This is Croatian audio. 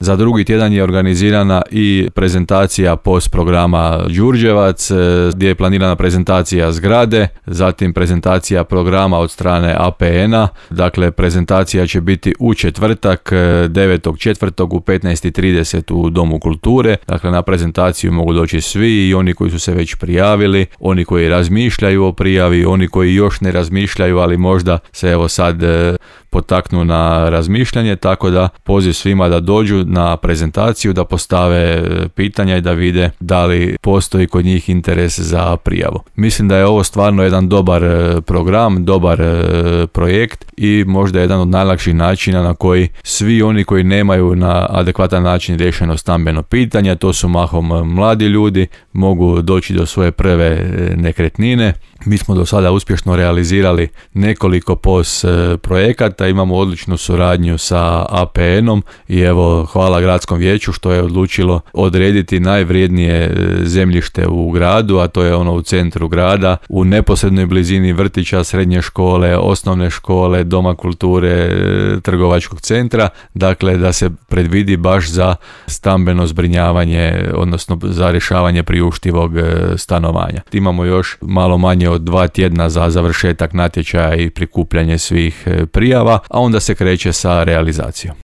Za drugi tjedan je organizirana i prezentacija POS programa Đurđevac, gdje je planirana prezentacija zgrade, zatim prezentacija programa od strane APN-a. Dakle, prezentacija će biti u četvrtak, 9.4. u 15.30 u Domu kulture. Dakle, na prezentaciju mogu doći svi, i oni koji su se već prijavili, oni koji razmišljaju o prijavi, oni koji još ne razmišljaju, ali možda se evo sad potaknu na razmišljanje, tako da poziv svima da dođu na prezentaciju, da postave pitanja i da vide da li postoji kod njih interes za prijavu. Mislim da je ovo stvarno jedan dobar program, dobar projekt i možda jedan od najlakših načina na koji svi oni koji nemaju na adekvatan način riješeno stambeno pitanje, to su mahom mladi ljudi, mogu doći do svoje prve nekretnine. Mi smo do sada uspješno realizirali nekoliko POS projekata, imamo odličnu suradnju sa APN-om i evo hvala gradskom vijeću što je odlučilo odrediti najvrijednije zemljište u gradu, a to je ono u centru grada, u neposrednoj blizini vrtića, srednje škole, osnovne škole, doma kulture, trgovačkog centra, dakle da se predvidi baš za stambeno zbrinjavanje, odnosno za rješavanje priuštivog stanovanja. Imamo još malo manje od 2 tjedna za završetak natječaja i prikupljanje svih prijava, a onda se kreće sa realizacijom.